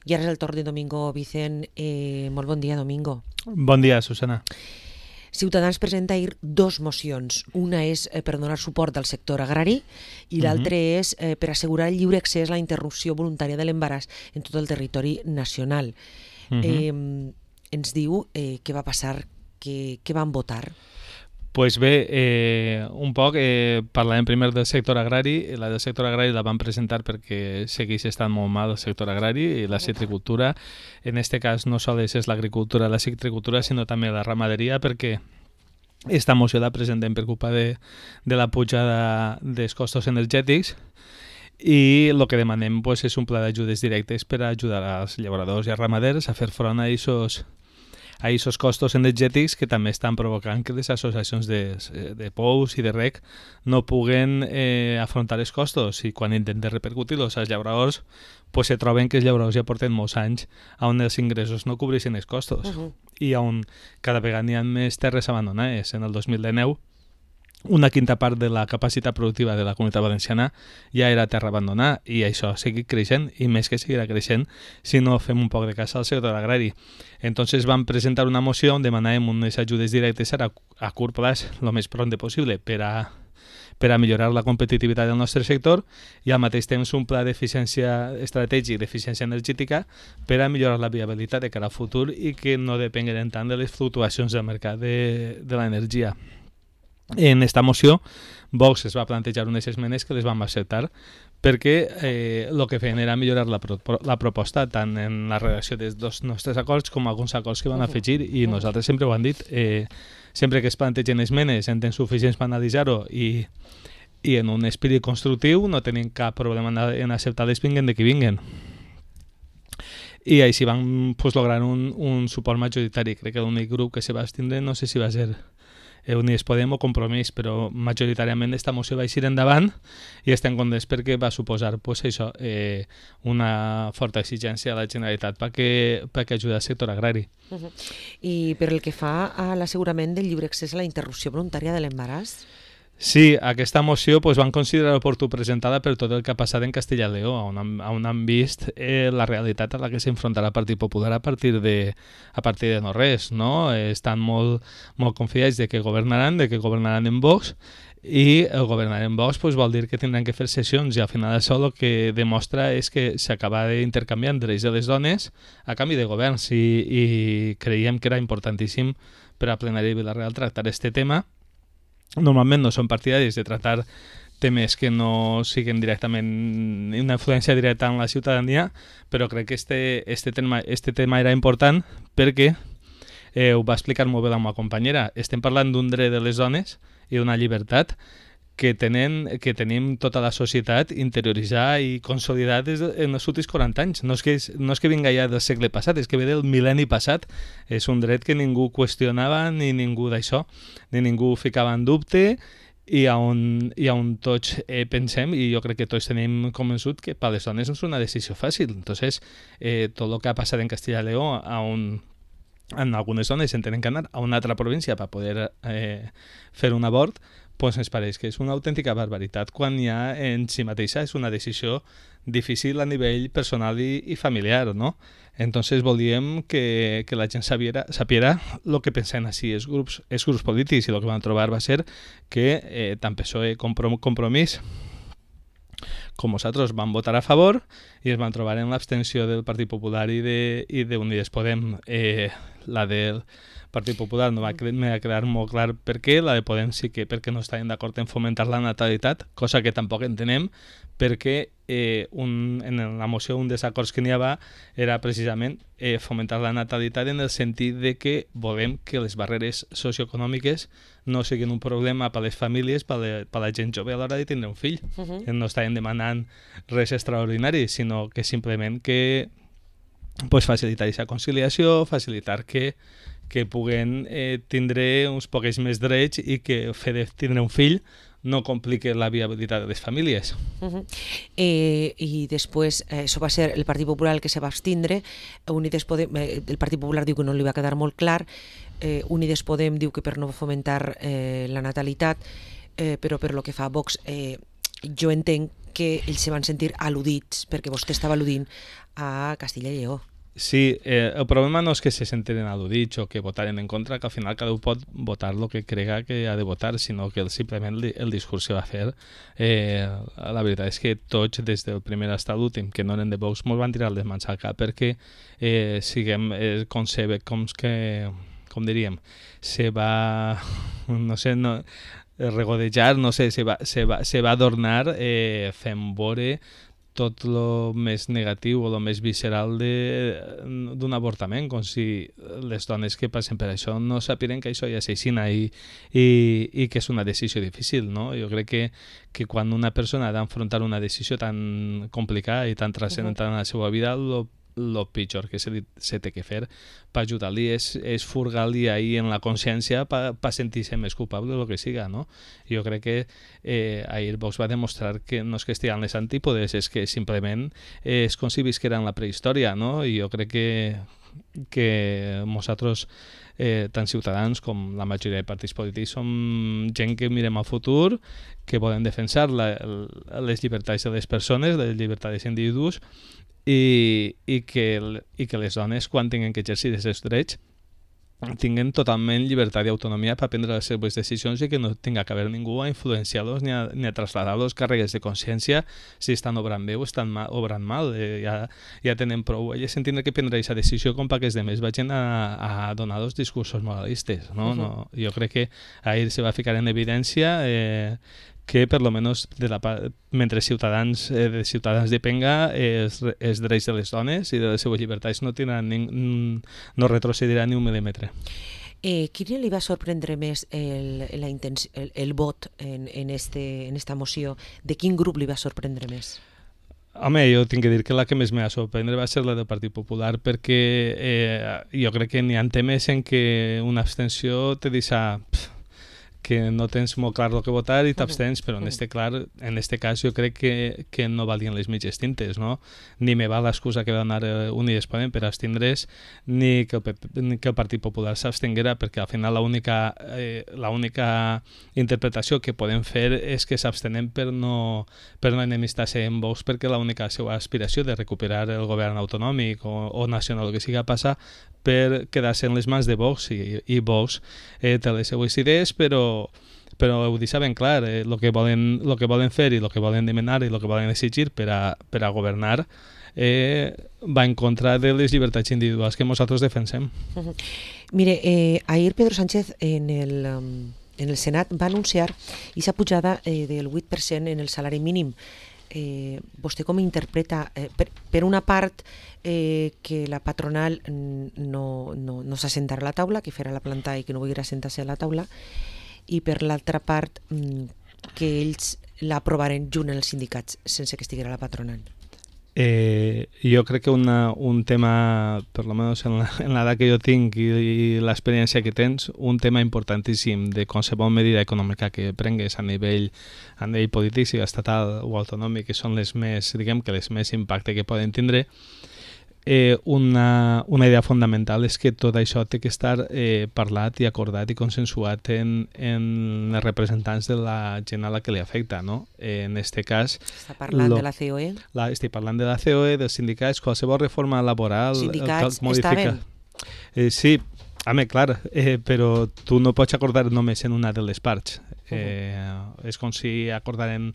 I ara és el torn de Domingo Vicent. Molt bon dia, Domingo. Bon dia, Susana. Ciutadans presenta ahir dos mocions. Una és per donar suport al sector agrari i l'altra és per assegurar el lliure accés a la interrupció voluntària de l'embaràs en tot el territori nacional. Ens diu què va passar, què van votar? Pues bé, un poc parlarem primer del sector agrari. La del sector agrari la vam presentar perquè segueix estant molt mal el sector agrari i la citricultura. En este cas no sols és l'agricultura, la citricultura, sinó també la ramaderia, perquè esta moció la presentem per culpa de la pujada dels costos energètics i el que demanem pues, és un pla d'ajudes directes per ajudar als llauradors i als ramaders a fer front a aquests costos energètics que també estan provocant que les associacions de pous i de rec no puguen afrontar els costos, i quan intenten repercutir-los als llauradors pues se troben que els llauradors ja porten molts anys on els ingressos no cobreixen els costos i on cada vegada hi ha més terres abandonades. En el 2019 una quinta part de la capacitat productiva de la Comunitat Valenciana ja era terra abandonada, i això ha seguit creixent, i més que seguirà creixent si no fem un poc de cas al sector agrari. Entonces vam presentar una moció on demanàvem unes ajudes directes a curt plaç, el més pront possible, per a millorar la competitivitat del nostre sector, i al mateix temps un pla d'eficiència estratègic d'eficiència energètica per a millorar la viabilitat de cara al futur i que no depenguem tant de les fluctuacions del mercat de l'energia. En esta moció, Vox es va plantejar unes esmenes que les vam acceptar perquè el que feien era millorar la proposta tant en la redacció dels dos nostres acords com alguns acords que van afegir, i nosaltres sempre ho hem dit, sempre que es plantegen esmenes en temps suficients per analitzar-ho i en un espírit constructiu no tenim cap problema en acceptar-les vinguen de qui vinguen. I així vam lograr un suport majoritari. Crec que l'únic grup que se va abstindre no sé si va ser Unides Podem o Compromís, però majoritàriament aquesta moció va eixir endavant i estem contents perquè va suposar una forta exigència a la Generalitat perquè ajudi al sector agrari. I per el que fa a l'assegurament del lliure accés a la interrupció voluntària de l'embaràs? Sí, aquesta moció van considerar oportú presentada per tot el que ha passat en Castella i Lleó, on han vist la realitat a la que s'enfrontarà el Partit Popular a partir de no res, no? Estan molt confiats de que governaran en Vox, i el governar en Vox vol dir que tindran que fer sessions, i al final això el que demostra és que s'acaba d'intercanviar drets de les dones a canvi de governs, i creiem que era importantíssim per a plenari de Vila-real tractar aquest tema. Normalment no són partidaris de tractar temes que no siguin directament una influència directa en la ciutadania, però crec que este tema era important perquè ho va explicar molt bé la meva companyera. Estem parlant d'un dret de les dones i d'una llibertat que tenim tota la societat interioritzada i consolidat en els últims 40 anys. No és que vinga ja del segle passat, és que ve del mil·lenni passat. És un dret que ningú qüestionava, ni ningú d'això, ni ningú ficava en dubte, i on tots pensem, i jo crec que tots tenim convençut que per les dones no és una decisió fàcil. Entonces, tot el que ha passat en Castella i Lleó, en algunes zones en tenen que anar a una altra província per poder fer un abort, ens pareix que és una autèntica barbaritat, quan ja en si mateixa és una decisió difícil a nivell personal i familiar, no? Entonces volíem que la gent sapiera el que pensen així els grups polítics, i el que van trobar va ser que tant PSOE com Compromís com nosaltres van votar a favor, i es van trobar en l'abstenció del Partit Popular i d'Unides Podem. La del Partit Popular no va quedar molt clar per què, la de Podem sí que perquè no estaven d'acord en fomentar la natalitat, cosa que tampoc entenem, perquè en la moció un dels acords que n'hi havia era precisament fomentar la natalitat en el sentit de que volem que les barreres socioeconòmiques no siguin un problema per a les famílies, per a la gent jove a l'hora de tindre un fill. No estaven demanant res extraordinari, sinó que simplement que facilitar aquesta conciliació, facilitar que puguen tindre uns pocs més drets, i que el fet de tindre un fill no complica la viabilitat de les famílies. I després, això va ser el Partit Popular el que se va abstindre. El Partit Popular diu que no li va quedar molt clar. Unides Podem diu que per no fomentar la natalitat, però per lo que fa a Vox jo entenc que ells se van sentir al·ludits perquè vostè estava al·ludint a Castilla i Lleó. Sí, el problema no és que se sentiren al·ludits o que votaren en contra, que al final cada un pot votar el que crega que ha de votar, sinó que simplement el discurs que va fer. La veritat és que tots, des del primer fins a l'últim, que no eren de Vox, ens van tirar les mans al cap perquè com diríem, se va, no sé, regodejar, no sé, se va adornar fent veure tot el més negatiu o el més visceral d'un avortament, com si les dones que passen per això no sapien que això ja s'aixina i que és una decisió difícil, no? Jo crec que quan una persona ha d'enfrontar una decisió tan complicada i tan transcendental en la seva vida, el pitjor que se té que fer per ajudar-li és furgar-li ahir en la consciència per sentir-se més culpable o el que siga, no? Jo crec que ahir Vox va demostrar que no és que estiguin les antípodes, és que simplement és com si visquera en la prehistòria, no? I jo crec que nosaltres, tant Ciutadans com la majoria de partits polítics, som gent que mirem al futur, que volen defensar les llibertats de les persones, les llibertats dels individus, i que les dones, quan tinguin que exercir aquests drets, tinguin totalment llibertat i autonomia per prendre les seves decisions i que no tinga que haver ningú a influenciar-los ni a traslladar-los càrregues de consciència si estan obrant bé o estan obrant mal. Ja tenen prou elles en tindre que prendre aquesta decisió com perquè els altres vagin a donar els discursos moralistes, no? No, jo crec que ahir se va ficar en evidència que per lo menos mentre de Ciutadans depenga els drets de les dones i de les seves llibertats no retrocediran ni un mil·límetre. Quin li va sorprendre més el vot en esta moció? De quin grup li va sorprendre més? Home, jo tinc que dir que la que més me va sorprendre va ser la del Partit Popular perquè jo crec que n'hi ha temes en què una abstenció te deixa que no tens molt clar el que votar i t'abstens, però en este cas jo crec que no valien les mitges tintes, no? Ni me va l'excusa que va donar Unides Podem per abstindre's, ni que el Partit Popular s'abstinguera, perquè al final l'única interpretació que podem fer és que s'abstenem per no enemistar-se amb Vox, perquè l'única seva aspiració de recuperar el govern autonòmic o nacional, el que sigui, passa per quedar-se en les mans de Vox i Vox té les seues idees, però ho deixa ben clar, el que volen fer i el que volen demanar i el que volen exigir per a governar va en contra de les llibertats individuals que nosaltres defensem. Mire, ahir Pedro Sánchez en el Senat va anunciar aquesta pujada del 8% en el salari mínim. Vostè com interpreta, per una part, que la patronal no s'assentarà a la taula, que farà la planta i que no volguera assentar-se a la taula, i per l'altra part que ells l'aprovaren junt els sindicats sense que estiguera la patronal? Jo crec que un tema, per almenys en l'edat que jo tinc i l'experiència que tens, un tema importantíssim de qualsevol medida econòmica que prengues a nivell polític, sigui estatal o autonòmic, que són les més impacte que poden tindre, una idea fundamental és que tot això té que estar parlat i acordat i consensuat en els representants de la gent a la que li afecta, no? En aquest cas... Està parlant de la COE? Estic parlant de la COE, dels sindicats, qualsevol reforma laboral... Sindicats estaven? Sí, home, clar, però tu no pots acordar només en una de les parts. És com si acordaren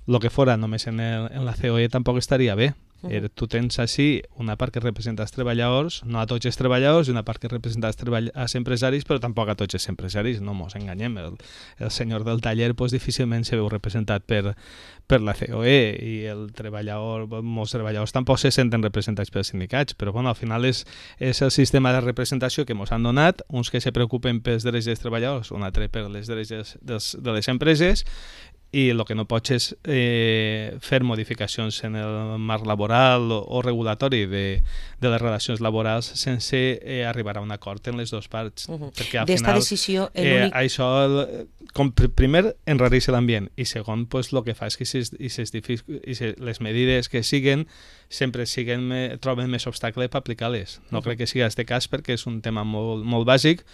el que fora només en la COE, tampoc estaria bé. Tu tens així una part que representa els treballadors, no a tots els treballadors, i una part que representa els empresaris, però tampoc a tots els empresaris, no mos enganyem. El senyor del taller difícilment se veu representat per la COE i molts treballadors tampoc se senten representats pels sindicats, però bueno, al final és el sistema de representació que ens han donat, uns que se preocupen pels drets dels treballadors, un altre per les drets de les empreses, i el que no pots és fer modificacions en el marc laboral o regulatori de les relacions laborals sense arribar a un acord en les dues parts. Perquè al final decisió, això primer, enrarir-se l'ambient, i segon, pues, el que fa és que les medides que siguen sempre troben més obstacle per aplicar-les. No crec que sigui aquest cas perquè és un tema molt, molt bàsic,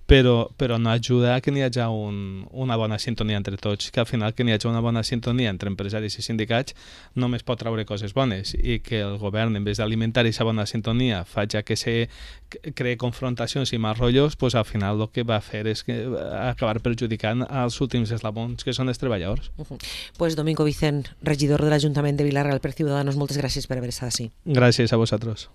però no ajuda a que n'hi hagi una bona sintonia entre tots, que al final que n'hi hagi una bona sintonia entre empresaris i sindicats només pot traure coses bones, i que el govern, en vez d'alimentar aquesta bona sintonia, faci que se cree confrontacions i més rotllos, pues, al final el que va fer és acabar perjudicant els últims eslabons, que són els treballadors. Pues Domingo Vicent, regidor de l'Ajuntament de Vila-real per Ciudadanos, moltes gràcies per haver estat així. Gràcies a vosaltres.